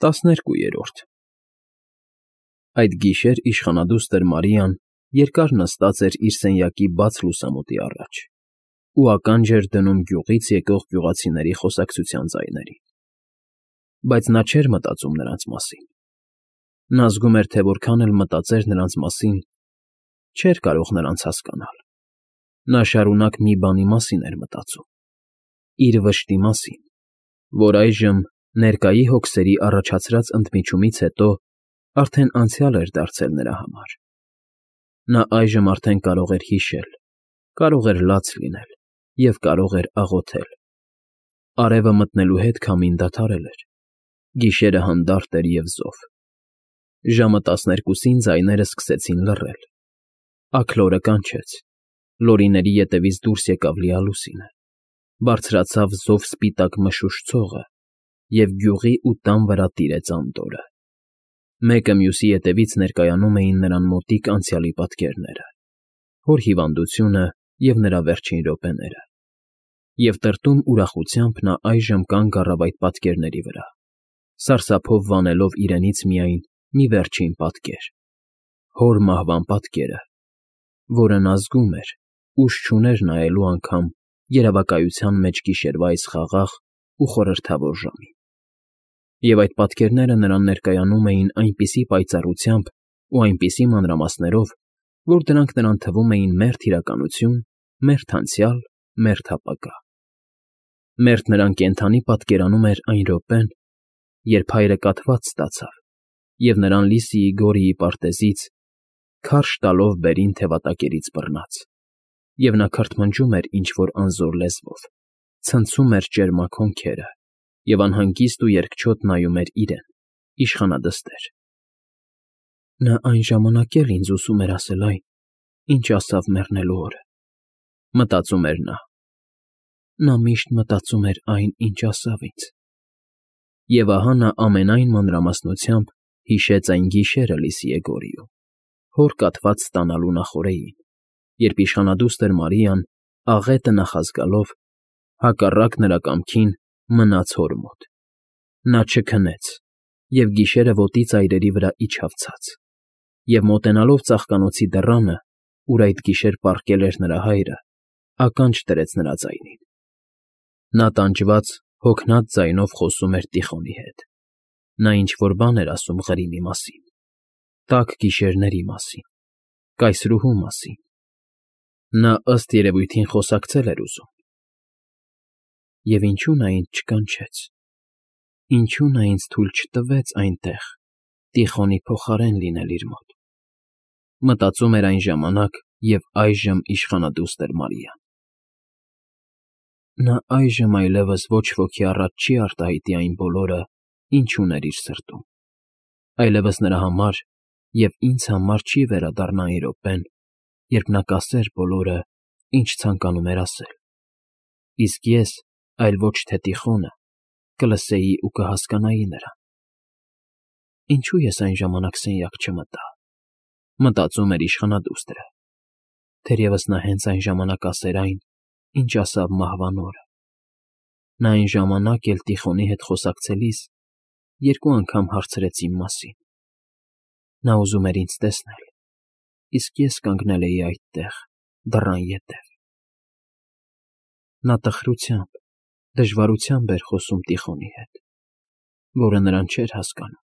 12-րդ Այդ գիշեր իշխանադուստր Մարիան երկար նստած էր իր սենյակի բաց լուսամուտի առաջ ու ականջ էր դնում գյուղից եկող գյուղացիների խոսակցության ձայներին, բայց նա չէր մտածում նրանց մասին. նա զգում էր, թե որքան էլ մտածեր նրանց մասին, չէր կարող նրանց հասկանալ. նա շարունակ մի բանի մասին էր մտածում. իր վշտի մասին, որ այժմ, ներկայի հոգսերի առաջացրած ընդմիջումից հետո, արդեն անցյալ էր դարձել նրա համար. նա այժմ արդեն կարող էր հիշել, կարող էր լաց լինել և կարող էր աղոթել. արևը մտնելու հետ քամին դադարել էր, գիշերը հանդարտ էր և զով. ժամը 12-ին ձայները սկսեցին լռել, աքլորը կանչեց, լորիների ետևից դուրս եկավ լիալուսինը, բարձրացավ զով սպիտակ մշուշ ցողը և գյուղի ու տան վրա տիրեց անդորրը. մեկը մյուսի ետևից ներկայանում էին նրան մոտիկ անցյալի պատկերները, հոր հիվանդությունը և նրա վերջին րոպեները, և տրտում ուրախությամբ նա այժմ կանգ առավ այդ պատկերների վրա, սարսափով վանելով իրենից միայն մի վերջին պատկեր, հոր մահվան պատկերը, որը նա զգում էր, ուժ չուներ նայելու անգամ երևակայության մեջ գիշերվա այս խաղաղ ու խորհրդավոր ժամին. և այդ պատկերները նրան ներկայանում էին այնպիսի պայծառությամբ ու այնպիսի մանրամասներով, որ դրանք նրան թվում էին մերթ իրականություն, մերթ անցյալ, մերթ ապագա. մերթ նրան կենդանի պատկերանում էր այն րոպեն, երբ հայրը կաթված ստացավ և նրան Լիսիի Գորիի պարտեզից, քարշ տալով բերին թևատակերից բռնած, և նա քրթմնջում էր ինչ֊որ անզոր լեզվով, ցնցում էր ճերմակ հոնքերը և անհանգիստ ու երկչոտ նայում էր իրեն, իշխանադստեր. նա այն ժամանակ էլ ինձ ուզում էր ասել այն, ինչ ասավ մեռնելու օրը, մտածում էր նա. նա միշտ մտածում էր այն, ինչ ասավ ինձ. և ահա նա ամենայն մանրամասնությամբ հիշեց այն գիշերը Լիսիե Գորիում, հոր կաթված ստանալու նախօրեին, երբ իշխանադուստր Մարիան, աղետը նախազգալով, հակառակ նրա կամքին մնաց հոր մոտ. նա չքնեց և գիշերը ոտի ծայրերի վրա իջավ ցած, և մոտենալով ծաղկանոցի դռանը, ուր այդ գիշեր պառկել էր նրա հայրը, ականջ դրեց նրա ձայնին. նա տանջված, հոգնած ձայնով խոսում էր Տիխոնի հետ, նա ինչ֊որ բան էր ասում Ղրիմի մասին, տաք գիշերների մասին, կայսրուհու մասին, նա ըստ երևույթին խոսակցել էր ուզում. և ինչո՞ւ նա ինձ չկանչեց, ինչո՞ւ նա ինձ թույլ չտվեց այնտեղ Տիխոնի փոխարեն լինել իր մոտ, մտածում էր այն ժամանակ և այժմ իշխանադուստր Մարիան. նա այժմ այլևս ոչ ոքի առաջ չի արտահայտի այն բոլորը, ինչ ուներ իր սրտում, այլևս նրա համար և ինձ համար չի վերադառնա այն րոպեն, երբ նա կասեր բոլորը, ինչ ցանկանում էր ասել, իսկ ես, այլ ոչ թե Տիխոնը, կլսեի ու կհասկանայի նրան. ինչո՞ւ ես այն ժամանակ սենյակ չմտա, մտածում էր իշխանադուստրը, թերևս նա հենց այն ժամանակ ասեր այն, ինչ ասավ մահվան օրը, նա այն ժամանակ էլ Տիխոնի հետ խոսակցելիս երկու անգամ հարցրեց իմ մասին, նա ուզում էր ինձ տեսնել, իսկ ես կանգնել էի այդտեղ, դռան ետև. նա տխրությամբ, դժվարությամբ էր խոսում Տիխոնի հետ, որը նրան չէր հասկանում,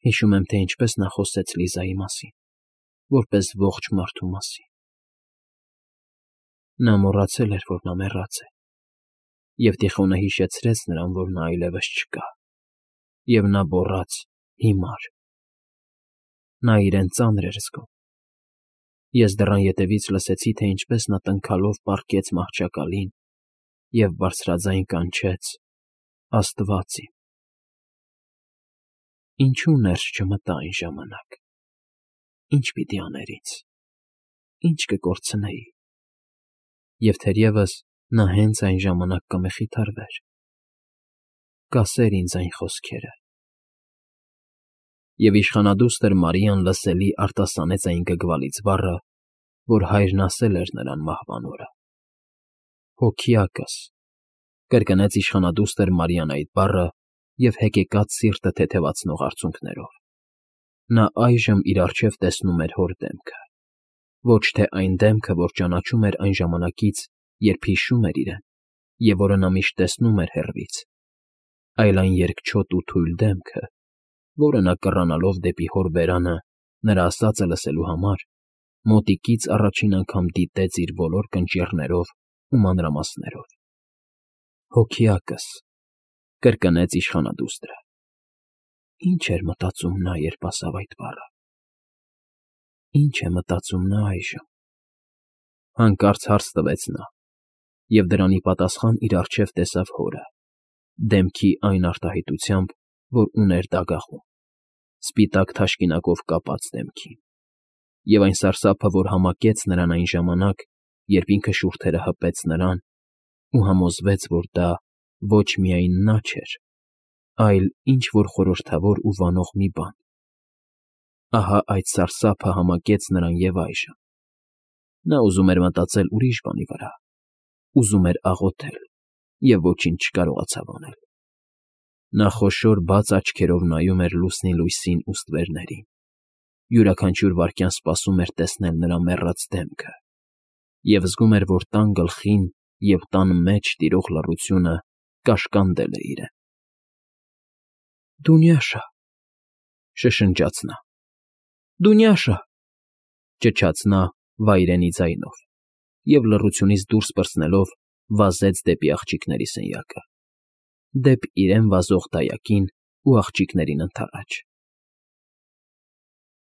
հիշում եմ, թե ինչպես նա խոսեց Լիզայի մասին, որպես ողջ մարդու մասին. նա մոռացել էր, որ նա մեռած է, և Տիխոնը հիշեցրեց նրան, որ նա այլևս չկա, և նա գոռաց հիմար, նա իրեն ծանր էր զգում, ես դռան ետևից լսեցի, թե ինչպես նա տնքալով պառկեց մահճակալին և բարձրաձայն կանչեց. Աստվա՜ծ իմ… ինչո՞ւ ներս չմտա այն ժամանակ, ի՞նչ պիտի աներ ինձ, ի՞նչ կկորցնեի, և թերևս նա հենց այն ժամանակ կմխիթարվեր, կասեր ինձ այն խոսքերը… Եվ իշխանադուստր Մարիան լսելի արտասանեց այն գգվալից բառը, որ հայրն ասել էր նրան մահվան օրը. հոգյակս, կրկնեց իշխանադուստր Մարիան այդ բառը և հեկեկած սիրտը թեթևացնող արցունքներով։ Նա այժմ իր առջև տեսնում էր հոր դեմքը, ոչ թե այն դեմքը, որ ճանաչում էր այն ժամանակից, երբ հիշում էր իրեն, և որը նա միշտ տեսնում էր հեռվից, այլ այն երկչոտ ու թույլ դեմքը, որը նա կռանալով դեպի հոր բերանը նրա ասածը լսելու համար, մոտիկից առաջին անգամ դիտեց իր բոլոր կնճիռներով ու մանրամասներով։ «Հոգեակս», կրկնեց իշխանադուստրը։ Ինչ էր մտածում նա, երբ ասավ այդ բառը։ Ինչ է մտածում նա այժմ։ Հանկարծ հարց տվեց նա, և դրանի պատասխան իր առջև տեսավ հորը, դեմքի այն արտահայտությամբ, որ ուներ դագաղում, սպիտակ թաշկինակով կապած դեմքին, և այն սարսափը, որ համակեց նրան այն ժամանակ, երբ ինքը շուրթերը հպեց նրան ու համոզվեց, որ դա ոչ միայն նա չէր, այլ ինչ֊որ խորհրդավոր ու վանող մի բան։ Ահա այդ սարսափը համակեց նրան և այժմ։ Նա ուզում էր մտածել ուրիշ բանի վրա, ուզում էր աղոթել և ոչինչ չկարողացավ անել։ Նա խոշոր բաց աչքերով նայում էր լուսնի լույսին ու ստվերներին, յուրաքանչյուր վայրկյան սպասում էր տեսնել նրա մեռած դեմքը, և զգում էր, որ տան գլխին և տան մեջ տիրող լռությունը կաշկանդել է իրեն։ «Դունյաշա», շշնջաց նա։ «Դունյաշա», ճչաց նա վայրենի ձայնով և լռությունից դուրս պրծնելով վազեց դեպի աղջիկների սենյակը, դեպ իրեն վազող դայակին ու աղջիկներին ընդառաջ։